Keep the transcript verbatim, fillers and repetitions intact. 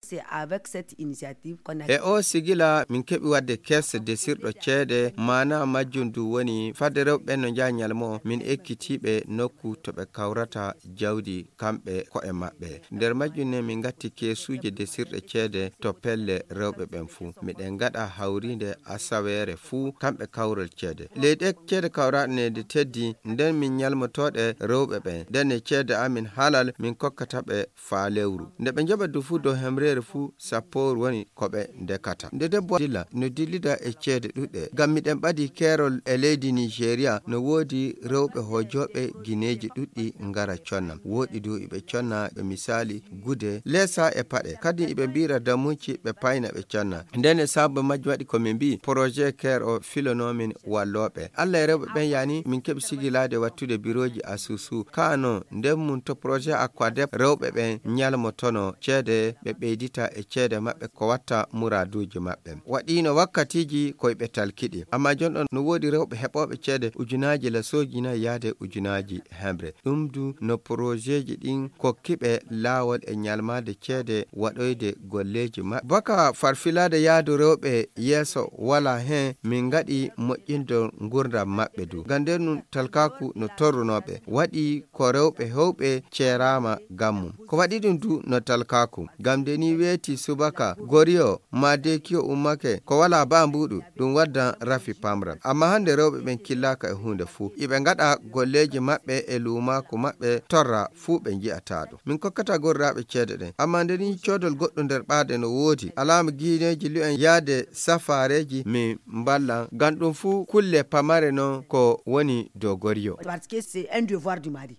C'est avec cette initiative qu'on a E o sigila min keɓi waɗde kees desirɗo ceede, maana majjum du woni fadde rewɓe ɓen no njaha ñalmo, min ekkitii ɓe nokku to ɓe kawrata jawdi kamɓe ko'e maɓɓe. Nder majjum ne min ngatti keesuuje desirɗe ceede to pelle rewɓe ɓen fuu. Miɗen ngaɗa hawriinde asaweere fuu kamɓe kawrol ceede. Ley ɗe ceede kawraɗe ne nde teddi, nden min ñalmotooɗe rewɓe ɓen. Nden e ceede amin halal min kokkata ɓe faa lewru. Nde ɓe njaɓa du fuu dow hemreere fuu, sappoor woni ko ɓe ndekata. Nde debbo dilla, no dillida e ceede ɗuɗɗe. Ngam miɗen ɓadi keerol e leydi Nigeria, no woodi rewɓe hojooɓe gineeji ɗuɗɗi ngara conna. Wooɗi du iɓe conna, ɓe misaali gude, leesa e paɗe. Kadi iɓe mbiira damuuci, ɓe payna, ɓe conna. Nden e sababu majjum waɗi ko min mbii, projet keer o filonoo min wallooɓe. Allah e rewɓe ɓen yani, min keɓi sigilaade wattude birooji asusu. Kaa non, nden mum to projet Aquadep rewɓe ɓen ñalmotono ceede, ɓe ɓeydita e ceede maɓɓe ko watta muraaduuji maɓɓe. Waɗiino wakkatiiji ko iɓe talkiɗi. Amma jon ɗon no woodi rewɓe heɓooɓe ceede ujunaaji lasooji nayi yaade ujunaaji hemre. Ɗum du no projetji ɗin kokki ɓe laawol e ñalmaade ceede waɗoyde golleeji maɓɓe. Baka farfilaade yaadu rewɓe yeeso walaa hen, min ngaɗi moƴƴindo ngurdam maɓɓe du. Ngam nden ɗum talkaaku no torrunoo ɓe. Waɗi ko rewɓe heewɓe ceeraama ngam mum. Ko waɗi ɗum du no talkaaku. Ngam nde ni weeti subaka, goriyo, maa deekiyo ummake, ko walaa baa mbuuɗu, ɗum waddan rafi pamral. Amma hannde rewɓe ɓen killaaka e huunde fuu. Iɓe ngaɗa golleeji maɓɓe e luumaaku maɓɓe torra fuu ɓe nji'ataa ɗum. Min kokkata gorraaɓe ceede ɗen. Amma nde ni coodol goɗɗo nder ɓaade no woodi, alaama giineeji lu'en yaade safaareeji min mballan. Ngam ɗum fuu kulle pamare non ko woni dow goriyo. Parce que c'est un devoir du mari.